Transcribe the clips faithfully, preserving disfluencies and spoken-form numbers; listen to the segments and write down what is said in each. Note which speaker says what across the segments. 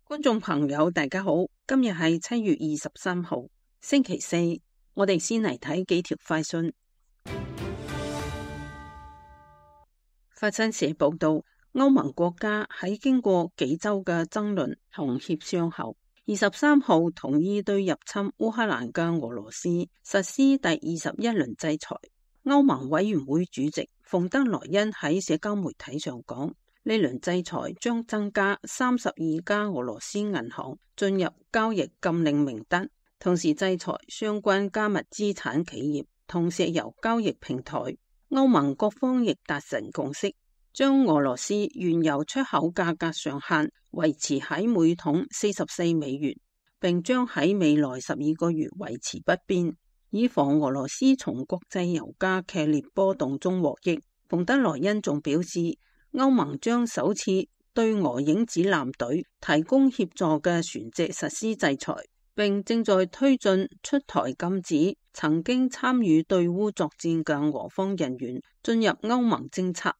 Speaker 1: 觀眾朋友，大家好，今日係七月二十三號，星期四。我哋先嚟睇幾條快訊。法新社報道，歐盟國家喺經過幾周嘅爭論同協商後，二十三號同意對入侵烏克蘭嘅俄羅斯實施第二十一輪制裁。歐盟委員會主席馮德萊恩喺社交媒體上講，呢輪制裁將增加三十二家俄羅斯銀行進入交易禁令名單，同時制裁相關加密資產企業同石油交易平台。歐盟各方亦達成共識，將俄羅斯原油出口價格上限維持喺每桶四十四美元，並將喺未來十二個月維持不變，以防俄羅斯從國際油價劇烈波動中獲益。馮德萊恩仲表示，歐盟將首次對俄影子艦隊提供協助嘅船隻實施制裁，並正在推進出台禁止曾經參與對烏作戰嘅俄方人員進入歐盟政策。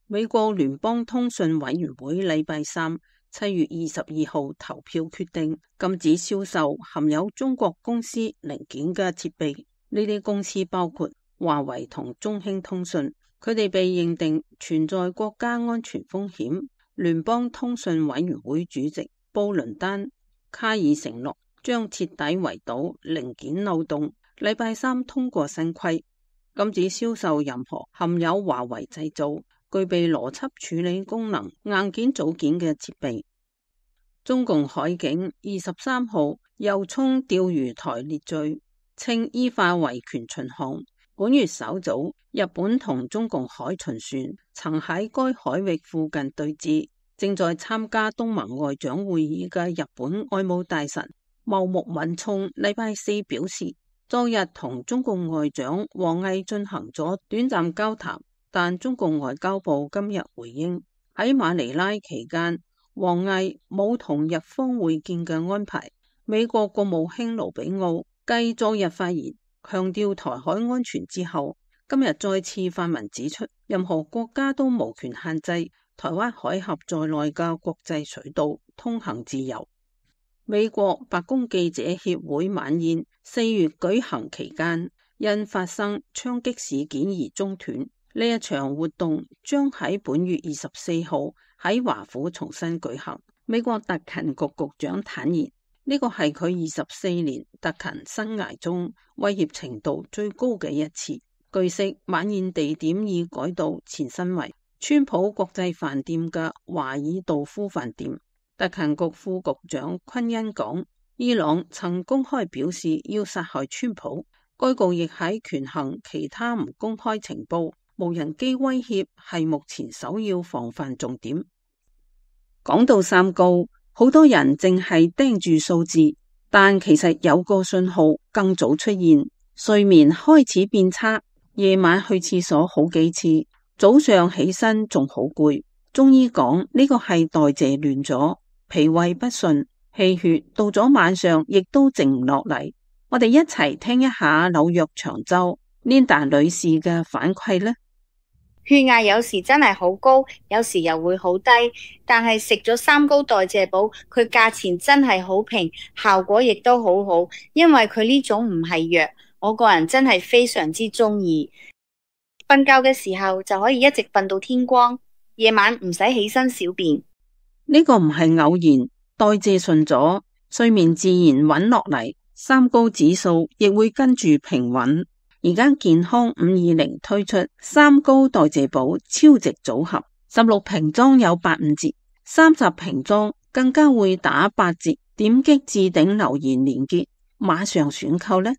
Speaker 1: 美國聯邦通訊委員會禮拜三七月二十二號投票決定禁止銷售含有中國公司零件嘅設備，呢啲公司包括華為同中興通訊。佢哋被認定存在國家安全風險。聯邦通訊委員會主席布倫丹卡爾承諾將徹底圍堵零件漏洞。禮拜三通過新規，禁止銷售任何含有華為製造、具備邏輯處理功能硬件組件嘅設備。中共海警二十三號又衝釣魚台列罪，稱依法維權巡航。本月稍早，日本同中共海巡船曾喺該海域附近對峙。正在參加東盟外長會議嘅日本外務大臣茂木敏充禮拜四表示，昨日同中共外長王毅進行咗短暫交談，但中共外交部今日回應，喺馬尼拉期間，王毅冇同日方會見嘅安排。美國國務卿盧比奧繼昨日發言強調台海安全之後，今日再次發文指出，任何國家都無權限制台灣海峽在內嘅國際水道通行自由。美國白宮記者協會晚宴四月舉行期間，因發生槍擊事件而中斷。呢一場活動將喺本月二十四號喺華府重新舉行。美國特勤局局長坦言，呢個係佢二十四年特勤生涯中威脅程度最高嘅一次。據悉，晚宴地點已改到前身為川普國際飯店嘅華爾道夫飯店。特勤局副局長昆恩講，伊朗曾公開表示要殺害川普，該局亦喺權衡其他唔公開情報，無人機威脅係目前首要防範重點。講到三高，好多人淨係盯住數字，但其實有個信號更早出現，睡眠開始變差，夜晚去廁所好幾次，早上起身仲好攰。中醫講呢個係代謝亂咗，脾胃不順，氣血到咗晚上亦都靜唔落嚟。我哋一齊聽一下紐約長洲 Linda 女士嘅反饋呢。
Speaker 2: 血壓有時真係好高，有時又會好低，但係食咗三高代謝寶，佢價錢真係好平，效果亦都好好，因為佢呢種唔係藥，我個人真係非常之中意。瞓覺嘅時候就可以一直瞓到天光，夜晚唔使起身小便。
Speaker 1: 呢個唔係偶然，代謝順咗，睡眠自然穩落嚟，三高指數亦會跟住平穩。而家健康五二零推出三高代謝寶超值組合，十六瓶裝有八五折，三十瓶裝更加會打八折。點擊置頂留言連結，馬上選購呢。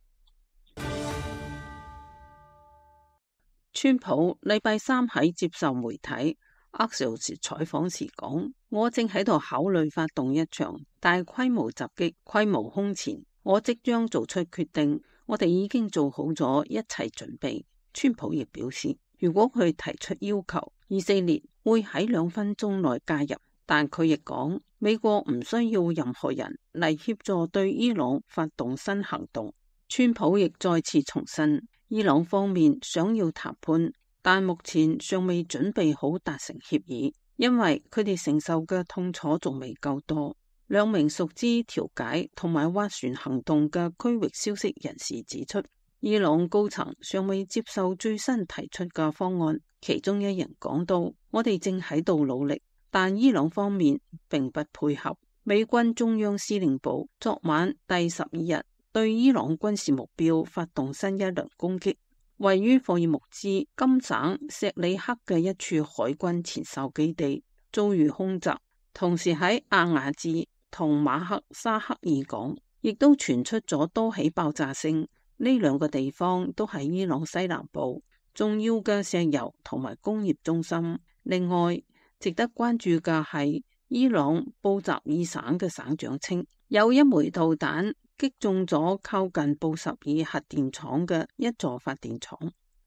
Speaker 1: 川普禮拜三喺接受媒體 Axios 採訪時講，我正喺度考慮發動一場大規模襲擊，規模空前，我即將做出決定。我哋已經做好咗一切準備。川普亦表示，如果佢提出要求，以色列會喺兩分鐘內介入。但佢亦講，美國唔需要任何人嚟協助對伊朗發動新行動。川普亦再次重申，伊朗方面想要談判，但目前尚未準備好達成協議，因為佢哋承受嘅痛楚仲未夠多。兩名熟知調解同埋斡旋行動嘅區域消息人士指出，伊朗高層尚未接受最新提出嘅方案。其中一人講到：我哋正喺度努力，但伊朗方面並不配合。美軍中央司令部昨晚第十二日對伊朗軍事目標發動新一輪攻擊，位於霍爾木茲金省錫里克嘅一處海軍前哨基地遭遇空襲，同時喺阿瓦茲同馬克沙克爾港亦都傳出咗多起爆炸聲。呢兩個地方都係伊朗西南部重要嘅石油同埋工業中心。另外，值得關注嘅係伊朗布什爾省嘅省長稱，有一枚導彈擊中咗靠近布什爾核電廠嘅一座發電廠。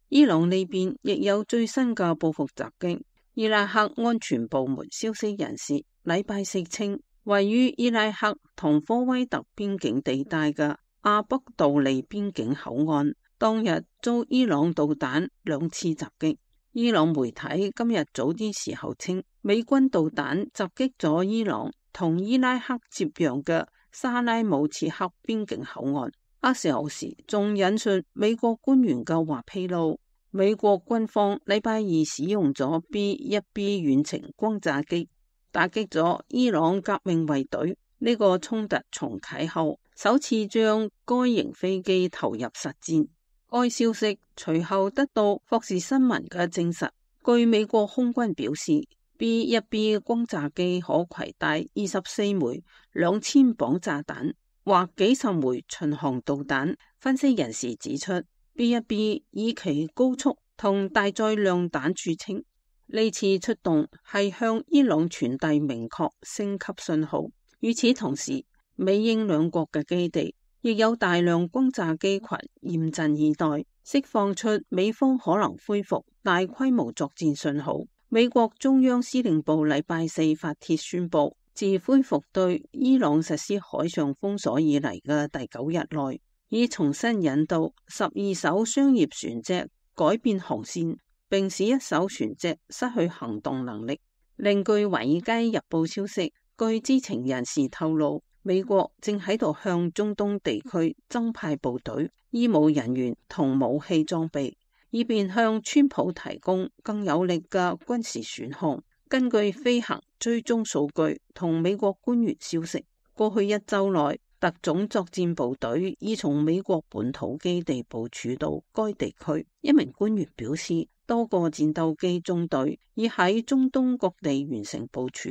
Speaker 1: 伊朗呢邊亦有最新嘅報復襲擊。伊拉克安全部門消息人士禮拜四稱，位於伊拉克同科威特邊境地帶嘅阿卜杜利邊境口岸當日遭伊朗導彈兩次襲擊。伊朗媒體今日早啲時候稱，美軍導彈襲擊咗伊朗同伊拉克接壤嘅沙拉姆切克邊境口岸。阿時候時仲引述美國官員嘅話披露，美國軍方禮拜二使用咗 B 一 B 遠程轟炸機打擊咗伊朗革命衛隊。呢個衝突重啟後首次將該型飛機投入實戰。該消息隨後得到霍士新聞嘅證實。據美國空軍表示， B 一 B 轟炸機可攜帶二十四枚兩千磅炸彈或幾十枚巡航導彈。分析人士指出， B 一 B 以其高速同大載量彈著稱，呢次出動係向伊朗傳遞明確升級信號。與此同時，美英兩國嘅基地亦有大量轟炸機群嚴陣以待，釋放出美方可能恢復大規模作戰信號。美國中央司令部禮拜四發帖宣布，自恢復對伊朗實施海上封鎖以嚟嘅第九日內，已重新引導十二艘商業船隻改變航線，並使一艘船隻失去行動能力。另據華爾街日報消息，據知情人士透露，美國正喺度向中東地區增派部隊、醫務人員同武器裝備，以便向川普提供更有力嘅軍事選項。根據飛行追蹤數據同美國官員消息，過去一周內，特種作戰部隊已從美國本土基地部署到該地區。一名官員表示，多個戰鬥機中隊已喺中東各地完成部署。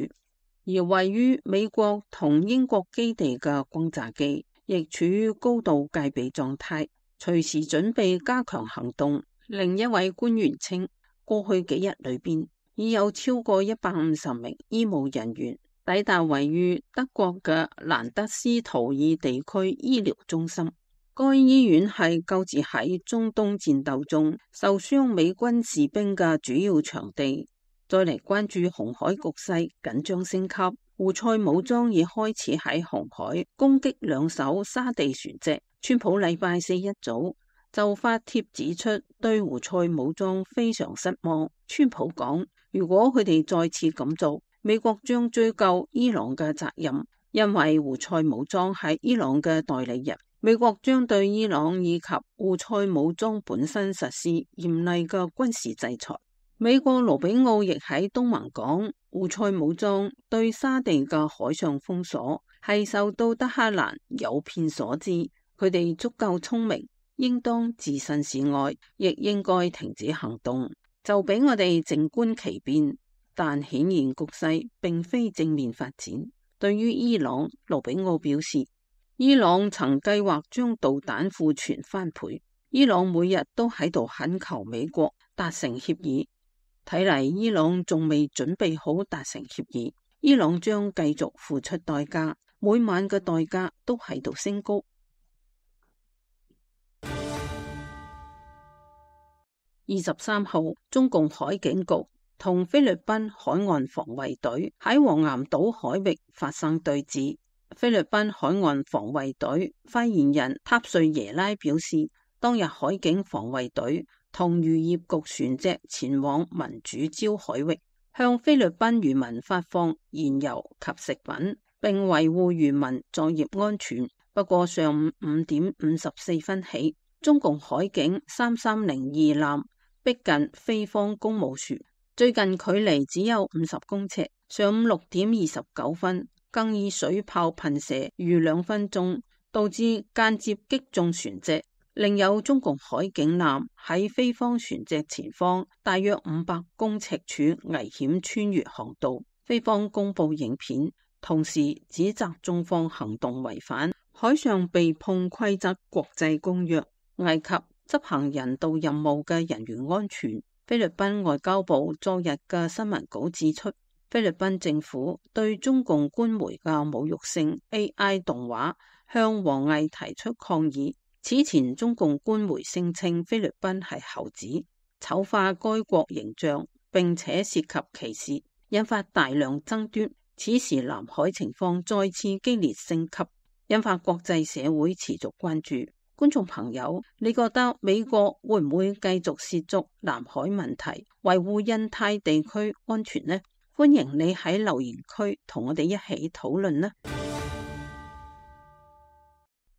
Speaker 1: 而位於美國同英國基地嘅轟炸機亦處於高度戒備狀態，隨時準備加強行動。另一位官員稱，過去幾日裏邊已有超過一百五十名醫務人員抵達位於德國嘅蘭德斯圖爾地區醫療中心。該醫院係救治喺中東戰鬥中受傷美軍士兵嘅主要場地。再嚟關注紅海局勢緊張升級，胡塞武裝已開始喺紅海攻擊兩艘沙地船隻。川普禮拜四一早就發帖指出，對胡塞武裝非常失望。川普講，如果佢哋再次咁做，美國將追究伊朗嘅責任，因為胡塞武裝係伊朗嘅代理人。美國將對伊朗以及胡塞武裝本身實施嚴厲嘅軍事制裁。美國盧比奧亦喺東盟講，胡塞武裝對沙地嘅海上封鎖係受到德黑蘭誘騙所致，佢哋足夠聰明，應當置身事外，亦應該停止行動，就俾我哋靜觀其變。但顯然局勢並非正面發展。對於伊朗，盧比奧表示，伊朗曾計劃將導彈庫存翻倍，伊朗每日都喺度懇求美國達成協議。睇嚟伊朗仲未準備好達成協議，伊朗將繼續付出代價，每晚嘅代價都喺度升高。二十三號，中共海警局同菲律賓海岸防衛隊喺黃岩島海域發生對峙。菲律賓海岸防衛隊發言人塔瑞耶拉表示，當日海警防衛隊同漁業局船隻前往民主礁海域，向菲律賓漁民發放燃油及食品。並維護漁民作業安全。不過上午五點五十四分起，中共海警三三零二艦逼近菲方公務船，最近距離只有五十公尺。上午六點二十九分，更以水炮噴射逾兩分鐘，導致間接擊中船隻。另有中共海警艦喺菲方船隻前方大約五百公尺處危險穿越航道，菲方公布影片，同時指責中方行動違反海上避碰規則國際公約，危及執行人道任務嘅人員安全。菲律賓外交部昨日嘅新聞稿指出，菲律賓政府對中共官媒嘅侮辱性 A I 動畫向王毅提出抗議。此前中共官媒聲稱菲律賓係猴子，醜化該國形象，並且涉及歧視，引發大量爭端。此時南海情況再次激烈升級，引發國際社會持續關注。觀眾朋友，你覺得美國會唔會繼續涉足南海問題，維護印太地區安全呢？歡迎你喺留言區同我哋一起討論呢。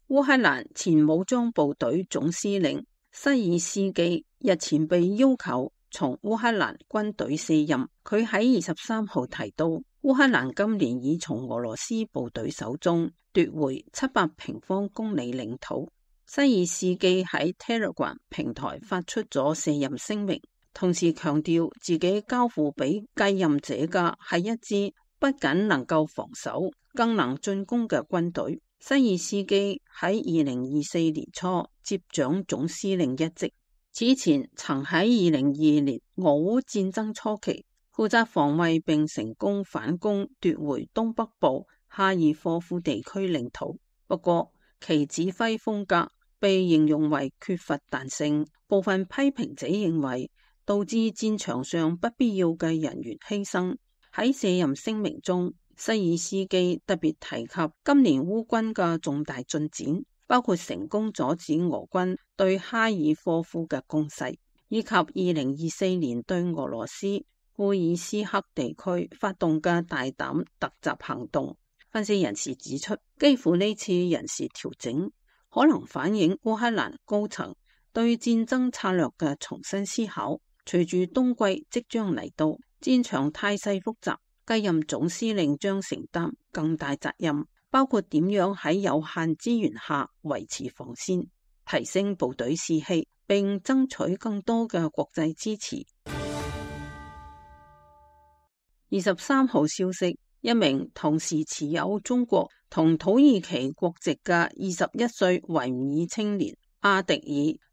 Speaker 1: 烏克蘭前武裝部隊總司令西爾斯基日前被要求從烏克蘭軍隊卸任。佢喺二十三號提到，烏克蘭今年已從俄羅斯部隊手中奪回七百平方公里領土。西爾斯基喺 Telegram 平台發出咗卸任聲明，同時強調自己交付俾繼任者嘅係一支不僅能夠防守，更能進攻嘅軍隊。西爾斯基喺二零二四年初接掌總司令一職，此前曾喺二零二二年俄烏戰爭初期負責防衛並成功反攻奪回東北部哈爾科夫地區領土。不過其指揮風格被形容為缺乏彈性，部分批評者認為導致戰場上不必要嘅人員犧牲。喺卸任聲明中，西爾斯基特別提及今年烏軍嘅重大進展，包括成功阻止俄軍對哈爾科夫嘅攻勢，以及二零二四年對俄羅斯庫爾斯克地區發動嘅大膽突襲行動。分析人士指出，幾乎呢次人事調整可能反映烏克蘭高層對戰爭策略嘅重新思考。隨住冬季即將嚟到，戰場態勢複雜，繼任總司令將承擔更大責任，包括點樣喺有限資源下維持防線，提升部隊士氣，並爭取更多嘅國際支持。二十三號消息，一名同時持有中國同土耳其國籍嘅二十一歲維吾爾青年阿迪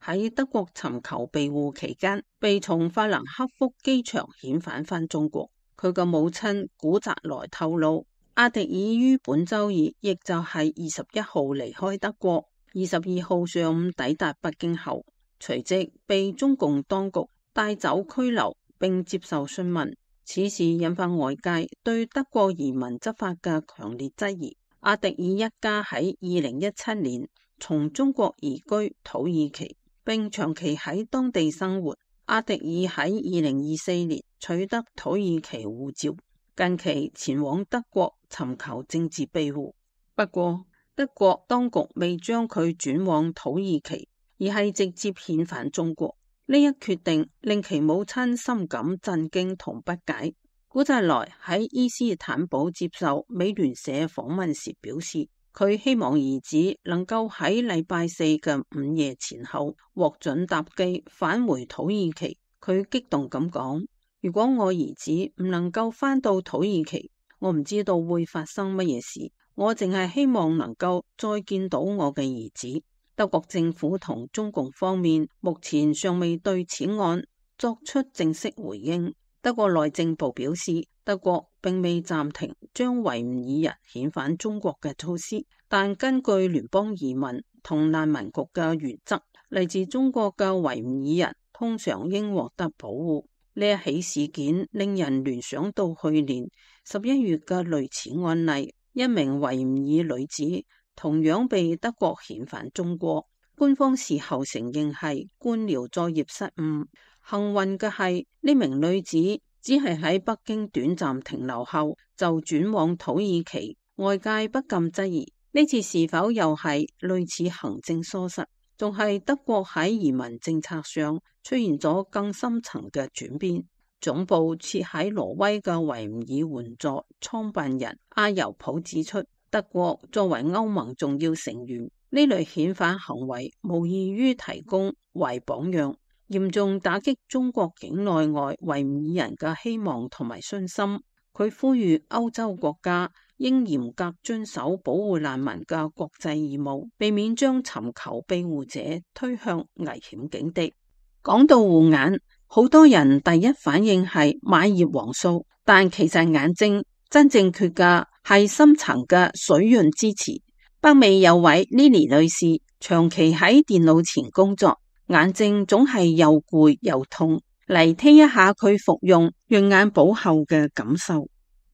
Speaker 1: 爾喺德國尋求庇護期間，被從法蘭克福機場遣返返中國。佢嘅母親古澤萊透露，阿迪爾於本周二，亦就係二十一號離開德國，二十二號上午抵達北京後，隨即被中共當局帶走拘留並接受詢問。此事引發外界對德國移民執法嘅強烈質疑。阿迪爾一家喺二零一七年從中國移居土耳其，並長期喺當地生活。阿迪爾喺二零二四年取得土耳其護照，近期前往德國尋求政治庇護。不過，德國當局未將佢轉往土耳其，而係直接遣返中國。呢一決定令其母親深感震驚同不解。古澤萊喺伊斯坦堡接受美聯社訪問時表示，佢希望兒子能夠喺禮拜四嘅午夜前後獲准搭機返回土耳其。佢激動咁講，如果我兒子唔能夠返到土耳其，我唔知道會發生乜嘢事，我淨係希望能夠再見到我嘅兒子。德國政府同中共方面目前尚未對此案作出正式回應。德國內政部表示，德國並未暫停將維吾爾人遣返中國嘅措施，但根據聯邦移民同難民局嘅原則，嚟自中國嘅維吾爾人通常應獲得保護。呢一起事件令人聯想到去年十一月嘅類似案例，一名維吾爾女子同樣被德國遣返中國，官方事後承認係官僚作業失誤。幸運嘅係，呢名女子只係喺北京短暫停留後就轉往土耳其，外界不禁質疑呢次是否又係類似行政疏失，仲係德國喺移民政策上出現咗更深層嘅轉變。總部設喺挪威嘅維吾爾援助創辦人阿尤普指出，德國作為歐盟重要成員，呢類遣返行為無異於提供為榜樣，嚴重打擊中國境內外維吾爾人嘅希望同埋信心。佢呼籲歐洲國家應嚴格遵守保護難民嘅國際義務，避免將尋求庇護者推向危險境地。講到護眼，好多人第一反應係買葉黃素，但其實眼睛真正缺嘅係深層嘅水潤支持。北美有位 Lily 女士長期喺電腦前工作，眼睛總係又攰又痛。嚟聽一下佢服用潤眼寶後嘅感受。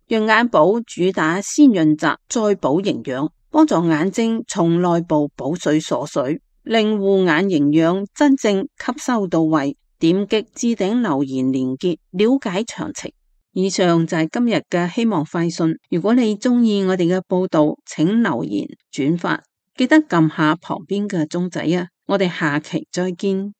Speaker 1: 潤眼寶主打先潤澤再補營養，幫助眼睛從內部補水鎖水，令護眼營養真正吸收到位。點擊置頂留言連結了解詳情。以上就係今日嘅希望快訊。如果你中意我哋嘅報道，請留言轉發，記得撳下旁邊嘅鐘仔啊！我哋下期再見。